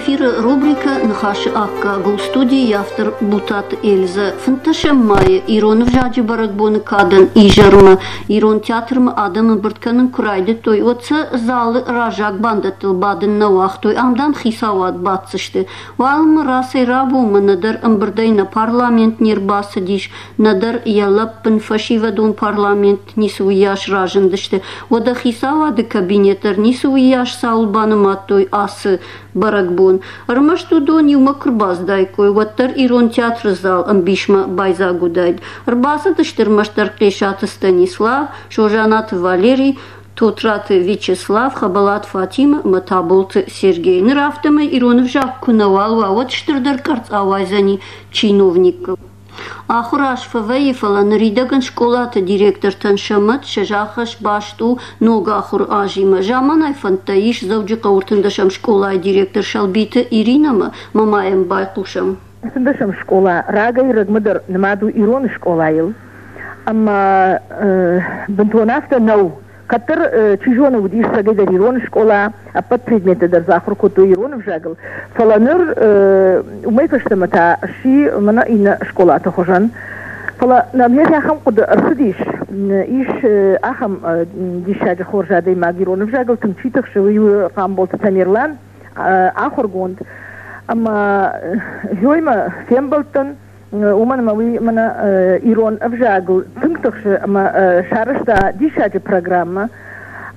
Эфиры рубрикӕ Ныхасы аккаг у студийы автор Бутаты Эльзӕ. Фынддӕсӕм майы ирон ӕвзаджы бӕрӕгбоны кадӕн изӕрмӕ Ирон театрмӕ адӕм ӕмбырд кӕнын куы райдыдтой, уӕд сӕ залы раззаг бандӕттыл бадын нӕ уагътой, ам, дам, хицауад баддзысты. Уалынмӕ рацӕй-рабонмӕ нӕдӕр ӕмбырдӕй нӕ парламент не рбацыдис, нӕдӕр йӕ лӕппын фӕсивӕдон парламент ницы уыйас разындысты. Уӕдӕ хицауады кабинет дӕр ницы уыйас цауыл банымадтой ацы бӕрӕгбон. Ӕрмӕст уыдон иумӕ куы рбацыдаиккой, уӕддӕр Ирон театры зал ӕмбисмӕ байдзаг уыдаид. Ӕрбацыдысты ӕрмӕстдӕр Хъесаты Станислав, Созанаты Валери, Тотраты Вячеслав, Хӕбӕлаты Фатимӕ ӕмӕ Таболты Сергей. Ныр афтӕмӕй ирон ӕвзаг куы нӕуал уа, уӕд стырдӕр къӕрцц ауайдзӕни чиновникыл. Ахуыр аз фӕвӕййы, фӕлӕ ныридӕгӕн скъолаты директортӕн сӕ мӕт, сӕ сагъӕс баст у ног ахуыры азимӕ. Заманай фӕндтӕ ис Дзӕуджыхъӕуы ӕртындӕсӕм скъолайы директор Сӕлбиты Иринӕмӕ, ма ма йӕм байхъусӕм. Ӕртындӕсӕм скъола рагӕй-рӕгмӕ дӕр нымад у ирон скъолайыл, ӕмӕ бынтон афтӕ нӕу. Кӕддӕр, чи зоны, уыдис цӕгӕйдӕр ирон скъола, ӕппӕт предметтӕ дӕр дзы ахуыр кодтой ирон ӕвзагыл, фӕлӕ ныр уымӕй фӕстӕмӕ та сси мӕнӕ иннӕ скъолаты хуызӕн. Фӕлӕ нӕм йӕ ахӕм хъуыды ӕрцыдис, ис ахӕм диссаджы хорз адӕймаг, ирон ӕвзагыл тынг чи тыхсы, уый у Хъамболты Тамерлан, ахуыргонд. Ӕмӕ Зоимӕ фембӕлдтӕн, уымӕн ӕмӕ уый мӕнӕ ирон ӕвзагыл тынг тыхсы ӕмӕ сарӕзта диссаджы программӕ.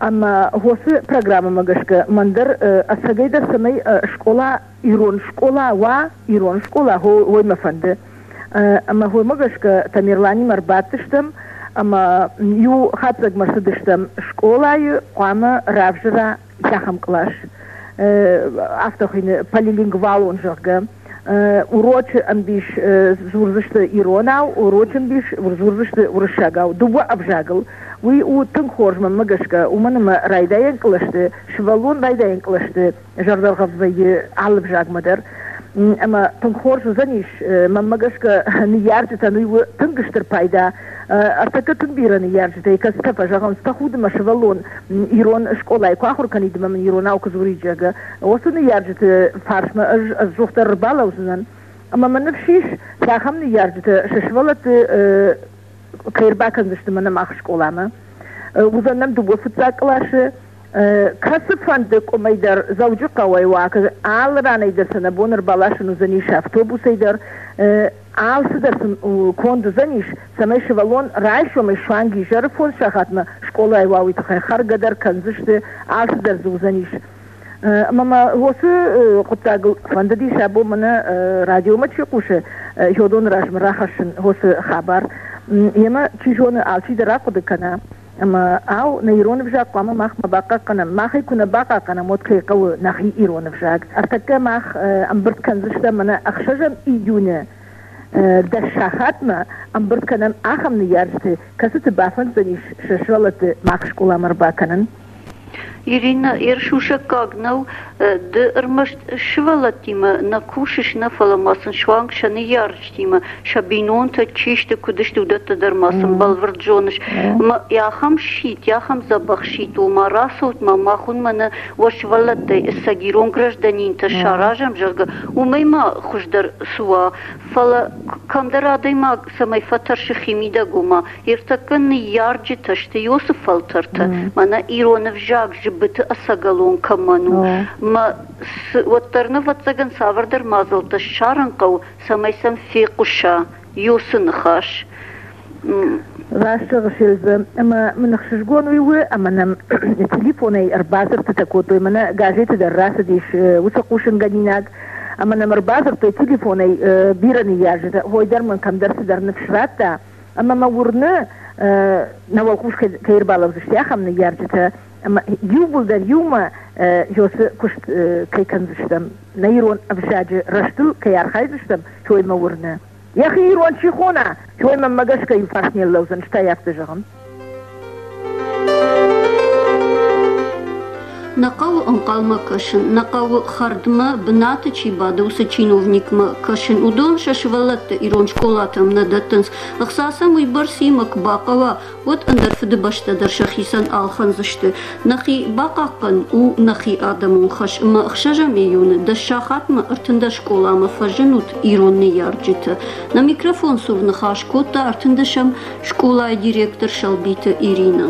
Ӕмӕ уыцы программӕмӕ гӕсгӕ мӕн дӕр ӕцӕгӕйдӕр цӕмӕй скъола ирон скъола уа, ирон скъола уой мӕ фӕнды. Ӕмӕ уымӕ гӕсгӕ Тамерланимӕ ӕрбадтыстӕм ӕмӕ иу хатдзӕгмӕ цыдыстӕм скъолайы хъуамӕ равзара ахӕм кълас, афтӕ хуыйны полилингвалон, зӕгъгӕ. Урочы ӕмбис дзурдзысты иронау, урочы ӕмбис дзурдзысты уырыссагау, дыууӕ ӕвзагыл. Уый у тынг хорз мӕнмӕ гӕсгӕ, уымӕн ӕмӕ райдайӕн кълӕсты, сывӕллон райдайӕн кълӕсты зӕрдӕргъӕвд вӕййы алы ӕвзагмӕ дӕр. Ӕмӕ тынг хорз уыдзӕнис, мӕнмӕ гӕсгӕ, ныййарджытӕн уый у тынг стыр пайда. Ӕртӕккӕ тынг бирӕ ныййарджытӕй кӕцытӕ фӕзӕгъынц, тӕхуды мӕ сывӕллон ирон скъолайы куы ахуыр кӕнид ӕмӕ мын иронау куы дзурид, зӕгъгӕ. Уыцы ныййарджыты фарсмӕ ӕз ӕдзухдӕр ӕрбалӕудзынӕн. Ӕмӕ мӕ ныфс ис, цахӕм ныййарджытӕ сӕ сывӕллӕтты кӕй ӕрбакӕндзысты мӕнӕ мах скъоламӕ. Уыдзӕн нӕм дыууӕ фыццаг къласы. Кӕцыфӕнды къуымӕй дӕр Дзӕуджыхъӕуӕй уа, алы ранӕй дӕр сӕ нӕ бон ӕрбаласын уыдзӕнис автобусӕй дӕр. Алцыдӕр сын конд уыдзӕнис, цӕмӕй сывӕллон райсомӕй суанг изӕры фондз сахатмӕ скъолайы уа, уый тыххӕй хӕргӕ дӕр кӕндзысты, алцыдӕр дзы уыдзӕнис. Ӕмӕ мӕ уыцы хъуыддагыл фӕндыдис абон мӕнӕ радиомӕ чи хъусы, уыдоны размӕ рахӕссын уыцы хабар. Йемӕ, чи зоны, алчидӕр ахъуыды кӕна, ӕмӕ ау, нӕ ирон ӕвзаг хъуамӕ мах ма бахъахъхъӕнӕм. Мах ӕй куы нӕ бахъахъхъӕнӕм, уӕд кӕй хъӕуы нӕхи ирон ӕвзаг. Ӕртӕккӕ мах ӕмбырд кӕндзыстӕм мӕнӕ ӕхсӕзӕм июны дӕс сахатмӕ ӕмбырд кӕнӕм ахӕм ныййарджыты, кӕцыты бафӕнддзӕнис сӕ сывӕллӕтты мах скъоламӕ ӕрбакӕнын. Иринӕ, йе рсусӕггаг нӕу, ды ӕрмӕст сывӕллӕттимӕ нӕ кусыс, нӕ, фӕлӕ ма сын суанг сӕ ныййарджытимӕ, сӕ бинонтӕ чи сты, куыд сты, уыдӕттӕ дӕр ма сын бӕлвырд зоныс. Ӕмӕ ахӕм сидт, ахӕм дзӕбӕх сидт у, ма рацӕут ма, мах уын мӕнӕ уӕ сывӕллӕттӕй ӕцӕг ирон гражданинтӕ саразӕм, зӕгъгӕ, уымӕй ма хуыздӕр цы уа. Фӕлӕ кӕмдӕр адӕймаг цӕмӕй фӕтӕрсы химидӕг, ома Ӕртӕккӕ ныййарджытӕ сты Иосы фӕлтӕртӕ, мӕнӕ ирон ӕвзаг зыбыты ӕцӕгӕлон кӕмӕн у. Мӕ уӕддӕр, ӕвӕццӕгӕн, цавӕрдӕр мадзӕлттӕ ссарын хъӕуы, цӕмӕй сӕм фехъуса Иосы ныхас. Раст зӕгъыс, Эльзӕ, ӕмӕ мын ӕхсызгон уый у, ӕмӕ нӕм телефонӕй ӕрбадзырдтытӕ кодтой, мӕнӕ газеты дӕр рацыдис уыцы хъусынгӕнинаг, ӕмӕ нӕм ӕрбадзырдтой телефонӕй бирӕ ныййарджытӕ, хой дӕр мын кӕмдӕр цыдӕр ныфс радта, Ӕмӕ мӕ уырны, нӕ уӕлхъус кӕй ӕрбалӕудзысты ахӕм ныййарджытӕ, ӕмӕ иууылдӕр иумӕ уыцы куыст кӕй кӕндзыстӕм, нӕ ирон ӕвзаджы рӕзтыл кӕй архайдзыстӕм, уый мӕ уырны. Йӕхи ирон чи хона, уый мӕнмӕ гӕсгӕ иу фарс не рлӕудзӕн, стӕй афтӕ зӕгъын. Нӕ хъӕуы ӕнхъӕлмӕ кӕсын, нӕ хъӕуы хӕрдмӕ, бынаты чи бады, уыцы чиновникмӕ кӕсын. Уыдон сӕ сывӕллӕтты ирон скъолатӕм нӕ дӕттынц. Ӕхца сӕм уыйбӕрц и, мӕ куы бахъӕуа, уӕд ӕндӕр фыдыбӕстӕ дӕр сӕхицӕн ӕлхӕндзысты. Нӕхи бахъахъхъӕн у нӕхи адӕмон хӕс ӕмӕ ӕхсӕзӕм июны дӕс сахатмӕ 13 скъоламӕ фӕзынут ирон ныййарджытӕ. Нӕ микрофон цур ныхас кодта ӕртындӕсӕм скъолайы директор Сӕлбиты Иринӕ.